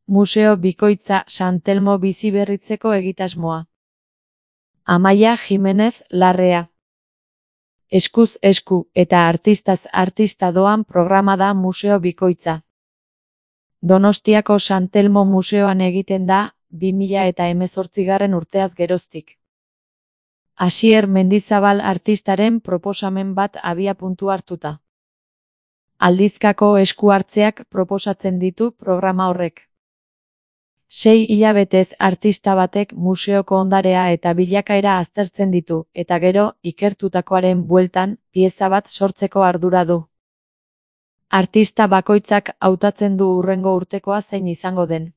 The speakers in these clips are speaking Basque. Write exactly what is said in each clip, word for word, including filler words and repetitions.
Museo bikoitza San Telmo biziberritzeko egitasmoa. Amaia Jimenez Larrea. Eskuz esku eta artistaz artista doan programa da museo bikoitza. Donostiako San Telmo museoan egiten da, bi mila eta hemezortzigarren urteaz geroztik. Asier Mendizabal artistaren proposamen bat abiapuntu hartuta. Aldizkako esku hartzeak proposatzen ditu programa horrek. Sei hilabetez artista batek museoko ondarea eta bilakaera aztertzen ditu, eta gero, ikertutakoaren bueltan, pieza bat sortzeko ardura du. Artista bakoitzak hautatzen du hurrengo urtekoa zein izango den.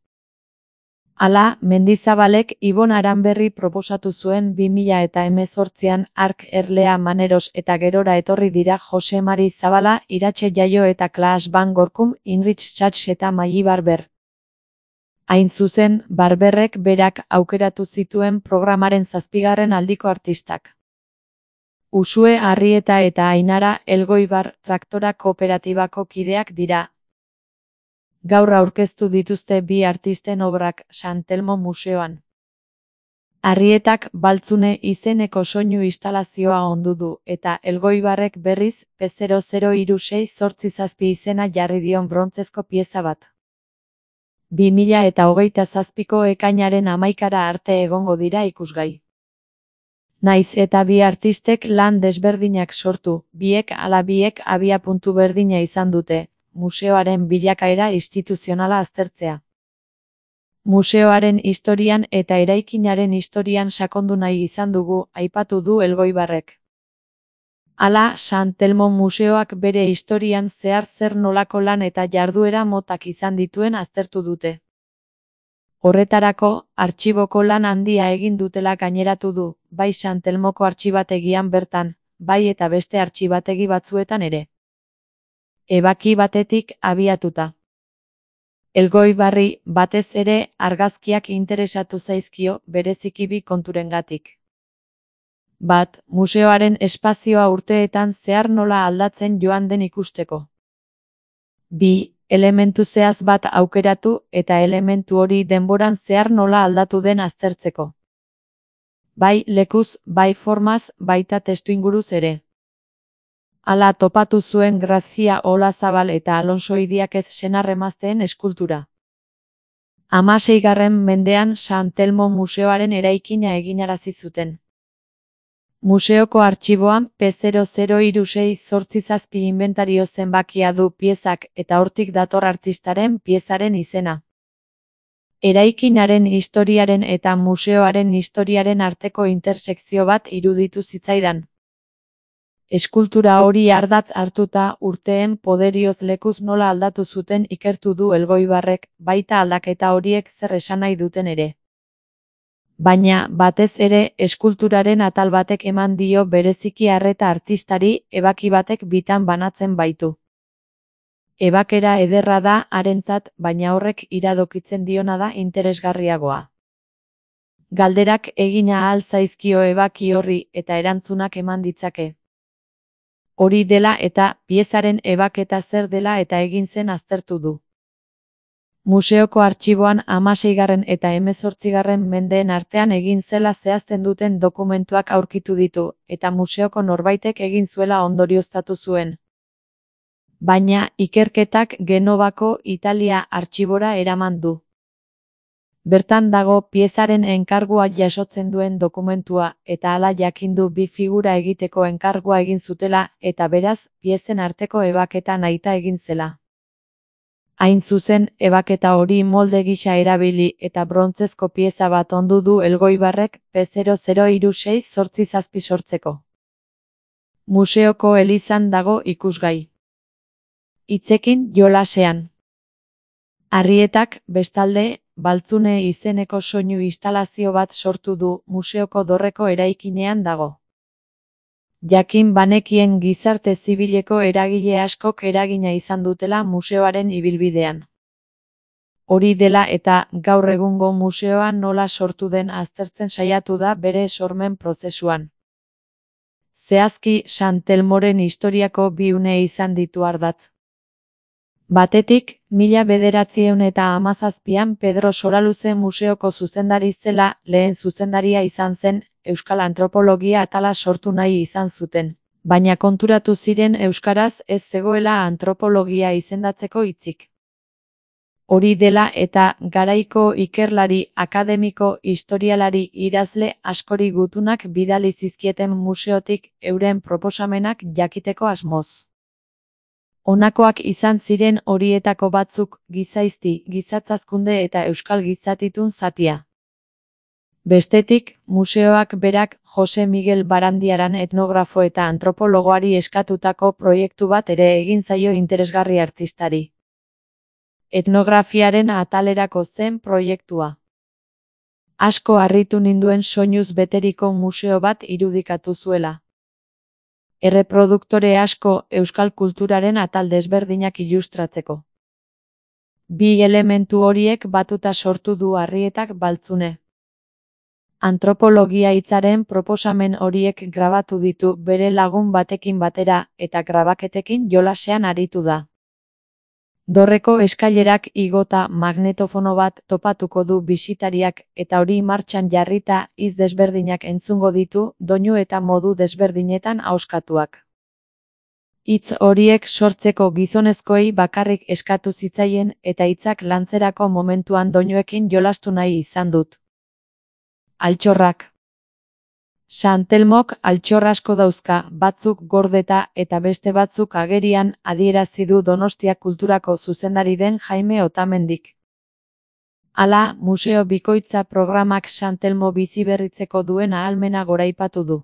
Hala, Mendizabalek Ibon Aranberri proposatu zuen bi mila eta hemezortzian Ark Erlea Maneros eta gerora etorri dira Jose Mari Zabala, Iratxe Jaio eta Klaas van Gorkum, Inrich Schach eta Maili Barber. Hain zuzen, Barberrek berak aukeratu zituen programaren zazpigarren aldiko artistak. Usue Arrieta eta Ainara Elgoibar traktora kooperatibako kideak dira. Gaur aurkeztu dituzte bi artisten obrak San Telmo museoan. Arrietak Baltzune izeneko soinu instalazioa ondu du, eta Elgoibarrek berriz P zero zero hiru sei zortzi zazpi izena jarri dion brontzezko pieza bat. bi mila eta hogeita zazpiko ekainaren hamaikara arte egongo dira ikusgai. Naiz eta bi artistek lan desberdinak sortu, biek ala biek abiapuntu berdina izan dute, museoaren bilakaera instituzionala aztertzea. Museoaren historian eta eraikinaren historian sakondu nahi izan dugu, aipatu du Elgoibarrek. Hala, San Telmo museoak bere historian zehar zer nolako lan eta jarduera motak izan dituen aztertu dute. Horretarako, artxiboko lan handia egin dutela gaineratu du, bai San Telmoko artxibategian bertan, bai eta beste artxibategi batzuetan ere. Ebaki batetik abiatuta. Elgoibarri, batez ere, argazkiak interesatu zaizkio, bereziki bi konturengatik. Bat, museoaren espazioa urteetan zehar nola aldatzen joan den ikusteko. Bi, elementu zehaz bat aukeratu eta elementu hori denboran zehar nola aldatu den aztertzeko. Bai lekuz, bai formaz, baita testuinguruz ere. Hala topatu zuen Grazia Olazabal eta Alonso Idiakez senarremazteen eskultura. Hamaseigarren mendean San Telmo museoaren eraikina eginarazi zuten. Museoko artxiboan P zero zero hiru sei zortzi zazpi inventario zenbakia du piezak eta hortik dator artistaren piezaren izena. Eraikinaren historiaren eta museoaren historiaren arteko intersekzio bat iruditu zitzaidan. Eskultura hori ardatz hartuta urteen poderioz lekuz nola aldatu zuten ikertu du Elgoibarrek, baita aldaketa horiek zer esan nahi duten ere. Baina, batez ere, eskulturaren atal batek eman dio bereziki arreta artistari, ebaki batek bitan banatzen baitu. Ebakera ederra da harentzat, baina horrek iradokitzen diona da interesgarriagoa. Galderak egina ahal zaizkio ebaki horri eta erantzunak eman ditzake. Hori dela eta piezaren ebaketa zer dela eta egin zen aztertu du. Museoko artxiboan hamaseigarren eta hemezortzigarren mendeen artean egin zela zehazten duten dokumentuak aurkitu ditu, eta museoko norbaitek egin zuela ondorioztatu zuen. Baina, ikerketak Genovako Italia artxibora eraman du. Bertan dago piezaren enkargua jasotzen duen dokumentua, eta hala jakindu bi figura egiteko enkargua egin zutela, eta beraz, piezen arteko ebaketa nahita egin zela. Hain zuzen, ebaketa hori molde gisa erabili eta brontzezko pieza bat ondu du Elgoibarrek P zero zero hiru sei zortzi zazpi sortzeko. Museoko elizan dago ikusgai. Hitzekin jolasean. Arrietak, bestalde, Baltzune izeneko soinu instalazio bat sortu du museoko dorreko eraikinean dago. Jakin banekien gizarte zibileko eragile askok eragina izan dutela museoaren ibilbidean. Hori dela eta gaur egungo museoa nola sortu den aztertzen saiatu da bere sormen prozesuan. Zehazki San Telmoren historiako bi une izan ditu ardatz. Batetik, mila bederatziehun eta hamazazpian Pedro Soraluze museoko zuzendari zela lehen zuzendaria izan zen, euskal antropologia atala sortu nahi izan zuten, baina konturatu ziren euskaraz ez zegoela antropologia izendatzeko hitzik. Hori dela eta garaiko ikerlari, akademiko, historialari, idazle askori gutunak bidali zizkieten museotik euren proposamenak jakiteko asmoz. Honakoak izan ziren horietako batzuk gizaizti, gizatzazkunde eta euskal gizatitun zatia. Bestetik, museoak berak Jose Miguel Barandiaran etnografo eta antropologoari eskatutako proiektu bat ere egin zaio interesgarri artistari. Etnografiaren atalerako zen proiektua. Asko harritu ninduen soinuz beteriko museo bat irudikatu zuela. Erreproduktore asko euskal kulturaren atal desberdinak ilustratzeko. Bi elementu horiek batuta sortu du Arrietak Baltzune. Antropologia hitzaren proposamen horiek grabatu ditu bere lagun batekin batera eta grabaketekin jolasean aritu da. Dorreko eskailerak igota magnetofono bat topatuko du bisitariak eta hori martxan jarrita hitz desberdinak entzungo ditu doinu eta modu desberdinetan ahoskatuak. Hitz horiek sortzeko gizonezkoei bakarrik eskatu zitzaien eta hitzak lantzerako momentuan doinuekin jolastu nahi izan dut. Altxorrak. San Telmok altxor asko dauzka, batzuk gordeta eta beste batzuk agerian, adierazi du Donostia Kulturako zuzendari den Jaime Otamendik. Hala, museo bikoitza programak San Telmo biziberritzeko duen ahalmena goraipatu du.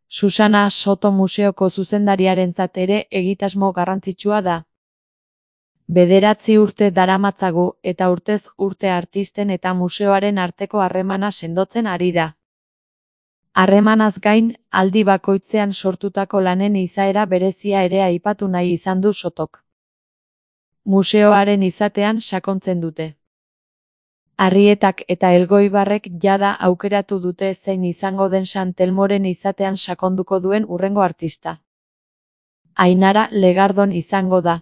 Susana Soto museoko zuzendariarentzat ere egitasmo garrantzitsua da. Bederatzi urte daramatzagu eta urtez urte artisten eta museoaren arteko harremana sendotzen ari da. Harremanaz gain, aldi bakoitzean sortutako lanen izaera berezia ere aipatu nahi izan du Sotok. Museoaren izatean sakontzen dute. Arrietak eta Elgoibarrek jada aukeratu dute zein izango den San Telmoren izatean sakonduko duen hurrengo artista. Ainara Legardon izango da.